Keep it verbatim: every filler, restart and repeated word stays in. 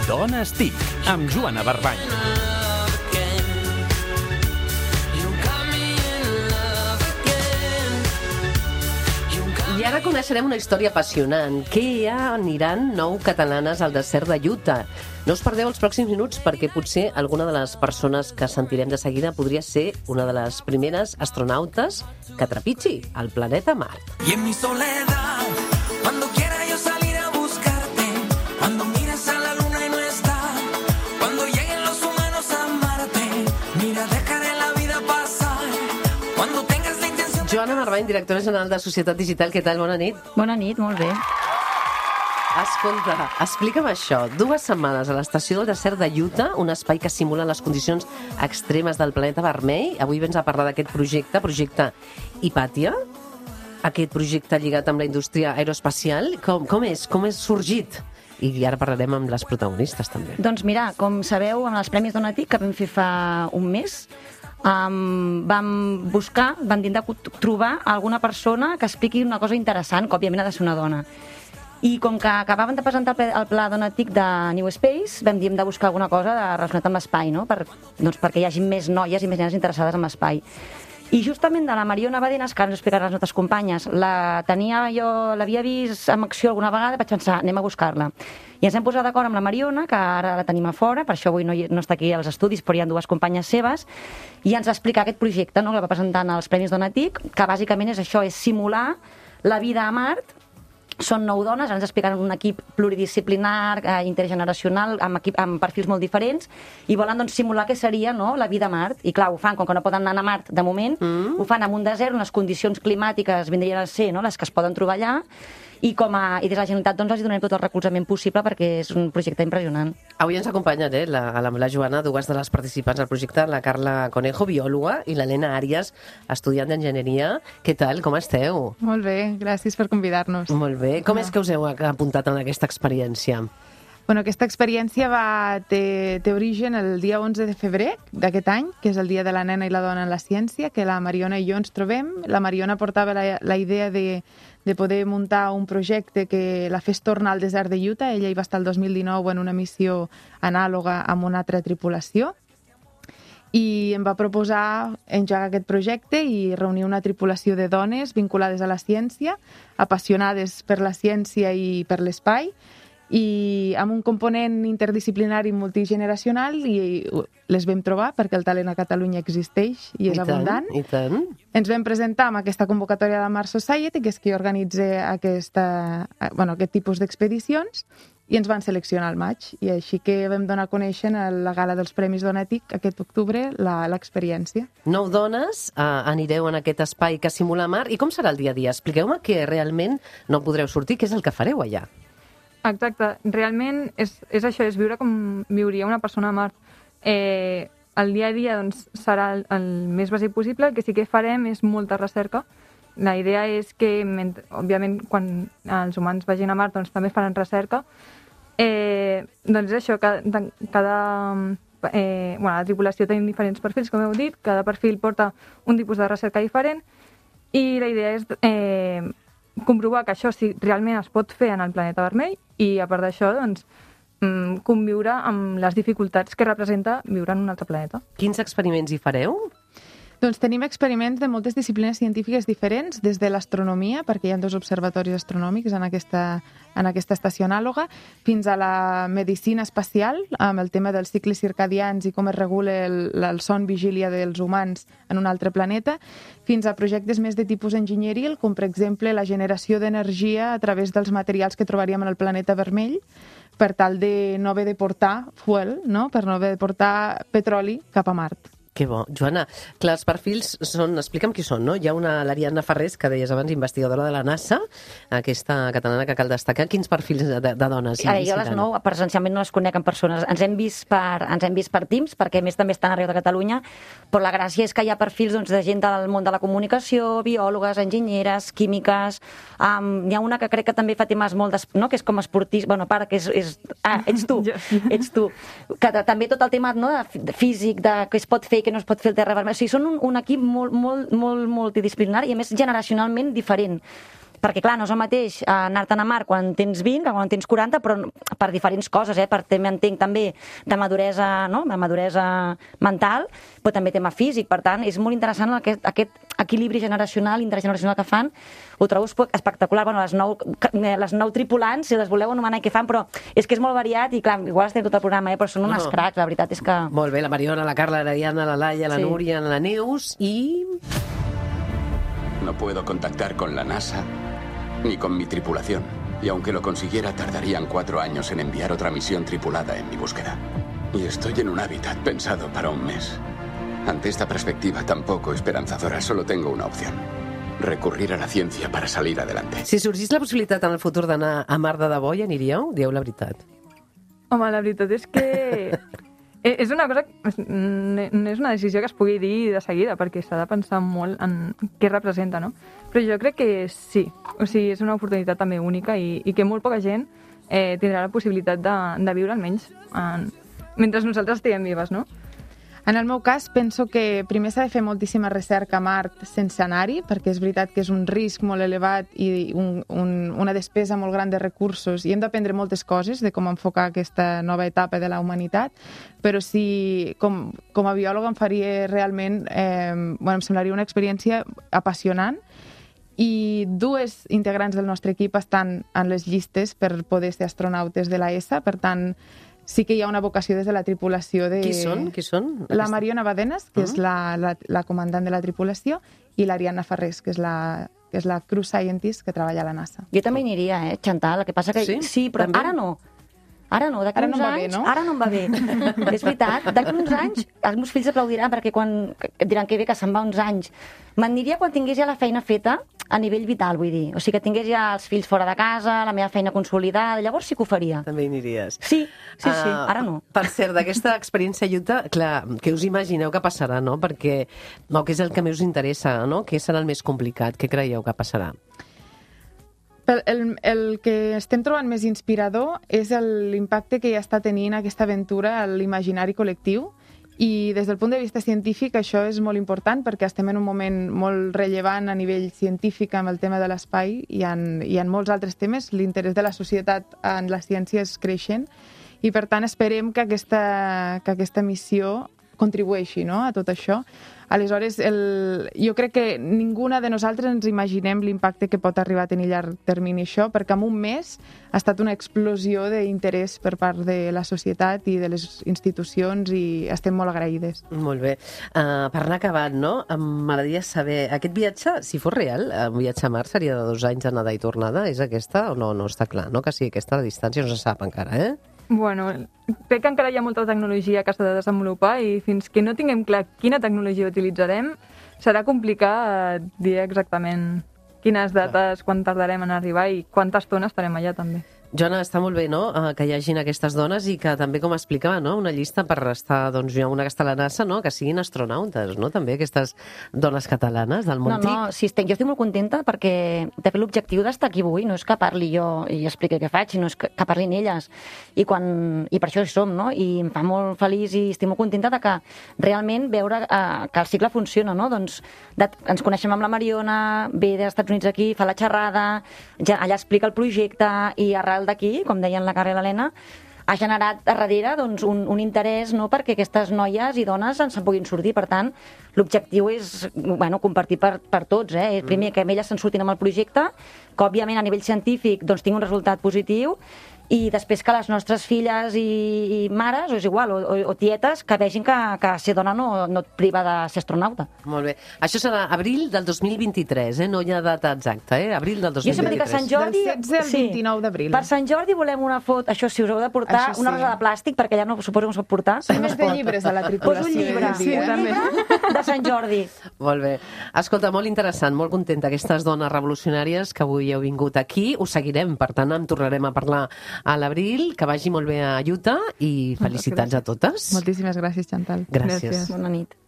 Dones T I C, amb Joana Barbany. I ara coneixerem una història apassionant. Què aniran nou catalanes al desert de Utah? No us perdeu els pròxims minuts perquè potser alguna de les persones que sentirem de seguida podria ser una de les primeres astronautes que trepitgi el planeta Mart. Y en mi soledad, cuando quiera yo salir a buscarte, cuando miras a la luna y no está, cuando lleguen los humanos a Marte, mira, dejaré la vida pasar, cuando tengas la intención... Joana Barbany, directora general de Societat Digital, què tal? Bona nit. Bona nit, molt bé. Escolta, explica'm això. Dues setmanes a l'estació del desert de Utah, un espai que simula les condicions extremes del planeta vermell. Avui vens a parlar d'aquest projecte, projecte Hypatia, aquest projecte lligat amb la indústria aeroespacial. Com, com és? Com és sorgit? I ara parlarem amb les protagonistes, també. Doncs mira, com sabeu, amb els Premis Donatic, que vam fer fa un mes, um, vam buscar, vam intentar trobar alguna persona que expliqui una cosa interessant, que òbviament ha de ser una dona. I com que acabaven de presentar el, el pla Donatic de New Space, vam dir hem de buscar alguna cosa de relacionat amb l'espai, no? Per, doncs perquè hi hagi més noies i més nenes interessades en l'espai. I justament de la Mariona Badenas, que ara ens explicarà les nostres companyes, la tenia jo, l'havia vist en acció alguna vegada, vaig pensar, anem a buscar-la. I ens hem posat d'acord amb la Mariona, que ara la tenim a fora, per això avui no, no està aquí als estudis, però hi ha dues companyes seves, i ens va explicar aquest projecte, no?, que va presentar als Premis Donatic, que bàsicament és això, és simular la vida a Mart. Són nou dones, ens explicaran un equip pluridisciplinar, eh, intergeneracional, amb, equip, amb perfils molt diferents, i volen doncs, simular què seria, no?, la vida a Mart. I clar, ho fan, com que no poden anar a Mart de moment, mm. ho fan en un desert on les condicions climàtiques vindrien a ser, no?, les que es poden trobar allà, i, com a, i des de la Generalitat doncs, els donem tot el recolzament possible perquè és un projecte impressionant. Avui ens acompanyen eh, la, la, la Joana, dues de les participants del projecte, la Carla Conejo, biòloga, i l'Helena Àrias, estudiant d'enginyeria. Què tal? Com esteu? Molt bé, gràcies per convidar-nos. Molt bé. Com és que us heu apuntat en aquesta experiència? Bueno, aquesta experiència va, té, té origen el dia onze de febrer d'aquest any, que és el Dia de la Nena i la Dona en la Ciència, que la Mariona i jo ens trobem. La Mariona portava la, la idea de, de poder muntar un projecte que la fes tornar al desert de Utah. Ella hi va estar el dos mil dinou en una missió anàloga amb una altra tripulació, i em va proposar engegar aquest projecte i reunir una tripulació de dones vinculades a la ciència, apassionades per la ciència i per l'espai, i amb un component interdisciplinari multigeneracional, i les vam trobar perquè el talent a Catalunya existeix i és I abundant. Tant, i tant. Ens vam presentar amb aquesta convocatòria de la Mars Society, que és qui organitza aquesta, bueno, aquest tipus d'expedicions, i ens van seleccionar al maig, i així que vam donar a conèixer a la gala dels Premis Donatic aquest octubre l'experiència. Nou dones eh, anireu en aquest espai que simula Mart. I com serà el dia a dia? Expliqueu-me que realment no podreu sortir, què és el que fareu allà? Exacte, realment és, és això, és viure com viuria una persona a Mart. Eh, el dia a dia doncs, serà el, el més bàsic possible, el que sí que farem és molta recerca. La idea és que, òbviament, quan els humans vagin a Mart doncs, també faran recerca. Eh, doncs és això, cada, cada eh, bueno, la tripulació tenim diferents perfils, com heu dit, cada perfil porta un tipus de recerca diferent, i la idea és eh, comprovar que això sí, realment es pot fer en el planeta vermell, i a part d'això, doncs, conviure amb les dificultats que representa viure en un altre planeta. Quins experiments hi fareu? Doncs tenim experiments de moltes disciplines científiques diferents, des de l'astronomia, perquè hi ha dos observatoris astronòmics en aquesta, en aquesta estació anàloga, fins a la medicina espacial, amb el tema dels cicles circadians i com es regula el, el son vigília dels humans en un altre planeta, fins a projectes més de tipus enginyeril, com per exemple la generació d'energia a través dels materials que trobaríem en el planeta vermell, per tal de no haver de portar fuel, no? Per no haver de portar petroli cap a Mart. Que bo. Joana, clar, els perfils són... Explica'm qui són, no? Hi ha una, l'Ariadna Ferrés, que deies abans, investigadora de la NASA, aquesta catalana que cal destacar. Quins perfils de, de dones? Ara, jo les nou, presencialment no les conec en persones. Ens hem vist per, ens hem vist per Teams, perquè a més també estan arreu de Catalunya, però la gràcia és que hi ha perfils doncs, de gent del món de la comunicació, biòlogues, enginyeres, químiques... Um, hi ha una que crec que també fa temes molt... Des, no? Que és com esportista... Bueno, para, que és... és ah, ets tu, ets tu. Que també tot el tema no, de físic, de què es pot fer, que no es pot fer el terra vermell. O sigui, són un, un equip molt, molt, molt multidisciplinari i, a més, generacionalment diferent. perquè clar, no és el mateix anar-te'n a mar quan tens vint que quan en tens quaranta, però per diferents coses, eh? Per tema, entenc, també de maduresa, no? De maduresa mental, però també tema físic. Per tant, és molt interessant aquest, aquest equilibri generacional, intergeneracional que fan. Ho trobo espectacular. Bueno, les nou, les nou tripulants, si les voleu anomenar, què fan, però és que és molt variat i, clar, igual estem tot el programa, eh? Però són unes No. cracs, la veritat és que... Molt bé, la Mariona, la Carla, la Diana, la Laia, la Sí. Núria, la Neus i... No puedo contactar con la NASA ni con mi tripulación. Y aunque lo consiguiera, tardarían cuatro años en enviar otra misión tripulada en mi búsqueda. Y estoy en un hábitat pensado para un mes. Ante esta perspectiva tan poco esperanzadora, solo tengo una opción. Recurrir a la ciencia para salir adelante. Si sorgís la possibilitat en el futur d'anar a mar de debò, hi aniríeu? Dieu la veritat. Home, la veritat és que eh, és una cosa, no és una decisió que es pugui dir de seguida, perquè s'ha de pensar molt en què representa, no? Però jo crec que sí, o sigui, és una oportunitat també única i, i que molt poca gent eh, tindrà la possibilitat de, de viure almenys en, mentre nosaltres estiguem vives, no? En el meu cas, penso que primer s'ha de fer moltíssima recerca a Mart sense anar-hi, perquè és veritat que és un risc molt elevat i un, un, una despesa molt gran de recursos, i hem d'aprendre moltes coses de com enfocar aquesta nova etapa de la humanitat, però sí, com, com a biòloga em faria realment, eh, bueno, em semblaria una experiència apassionant, i dues integrants del nostre equip estan en les llistes per poder ser astronautes de l'A E S A, per tant, sí que hi ha una vocació des de la tripulació de... Qui són? Qui són? La Mariona Badenes, que és la, la, la comandant de la tripulació, i l'Ariadna Ferrés, que és la, que és la crew scientist que treballa a la NASA. Jo també hi aniria, eh, Chantal, el que passa que... Sí? Sí, però També? ara no. Ara no, d'aquí Ara no uns em va bé, anys... no? Ara no em va bé. És veritat, d'aquí uns anys els meus fills aplaudiran perquè quan diran que bé que se'n va uns anys. M'aniria quan tingués ja la feina feta a nivell vital, vull dir. O sigui, que tingués ja els fills fora de casa, la meva feina consolidada, llavors sí que ho faria. També hi aniries. Sí, sí, sí, Ah, ara no. Per cert, d'aquesta experiència a Utah, clar, què us imagineu que passarà, no? Perquè, no, què és el que més us interessa, no? Què serà el més complicat? Què creieu que passarà? El, el, el que estem trobant més inspirador és l'impacte que ja està tenint aquesta aventura a l'imaginari col·lectiu, i des del punt de vista científic això és molt important perquè estem en un moment molt rellevant a nivell científic amb el tema de l'espai i en, i en molts altres temes. L'interès de la societat en la ciència és creixent i per tant esperem que aquesta, que aquesta missió contribueixi, no?, a tot això. Aleshores, el, jo crec que ninguna de nosaltres ens imaginem l'impacte que pot arribar a tenir a llarg termini això, perquè en un mes ha estat una explosió d'interès per part de la societat i de les institucions i estem molt agraïdes. Molt bé. Uh, per anar acabant, no? M'agradaria saber, aquest viatge, si fos real, un viatge a Mart seria de dos anys anada i tornada, és aquesta o no? No està clar, no? Que sí, aquesta distància no se sap encara, eh? Bueno, crec que encara hi ha molta tecnologia que s'ha de desenvolupar i fins que no tinguem clar quina tecnologia utilitzarem, serà complicat dir exactament quines dates, quan tardarem en arribar i quanta estona estarem allà també. Joana, està molt bé, no?, uh, que hi hagin aquestes dones i que també, com explicava, no?, una llista per estar, doncs, una que està a la NASA, no?, que siguin astronautes, no?, també aquestes dones catalanes del món No, no, sí, estic, jo estic molt contenta perquè, de fet, l'objectiu d'estar aquí avui no és que parli jo i expliqui què faig, sinó és que, que parlin elles. I, quan, I per això hi som, no?, i em fa molt feliç i estic molt contenta de que realment veure eh, que el cicle funciona, no?, doncs de, ens coneixem amb la Mariona, ve dels Estats Units aquí, fa la xerrada, ja, allà explica el projecte i arrel d'aquí, com deien la Carla i l'Helena, ha generat a darrere doncs, un, un interès, no?, perquè aquestes noies i dones ens en puguin sortir. Per tant, l'objectiu és, bueno, compartir per, per tots. Eh? Primer, que elles se'n surtin amb el projecte, que, òbviament, a nivell científic doncs, tingui un resultat positiu, i després que les nostres filles i, i mares, o és igual, o, o, o tietes, que vegin que, que ser dona no, no et priva de ser astronauta. Molt bé. Això serà abril del dos mil vint-i-tres, eh? No hi ha data exacta, eh? Abril del dos Jo mil sempre dic que vint-i-tres. Sant Jordi... Del setze al vint-i-nou d'abril. Per Sant Jordi volem una foto, això sí, us heu de portar Això sí. una rosa de plàstic, perquè ja no suposo que us pot portar. Som No més es de pot. llibres a la Pues tripulació. un llibre, jo diria. un llibre de Sant Jordi. Molt bé. Escolta, molt interessant, molt contenta aquestes dones revolucionàries que avui heu vingut aquí. Us seguirem, per tant, en tornarem a parlar a l'abril. Que vagi molt bé a Utah i felicitats a totes. Moltíssimes gràcies, Chantal. Gràcies. Gràcies. Bona nit.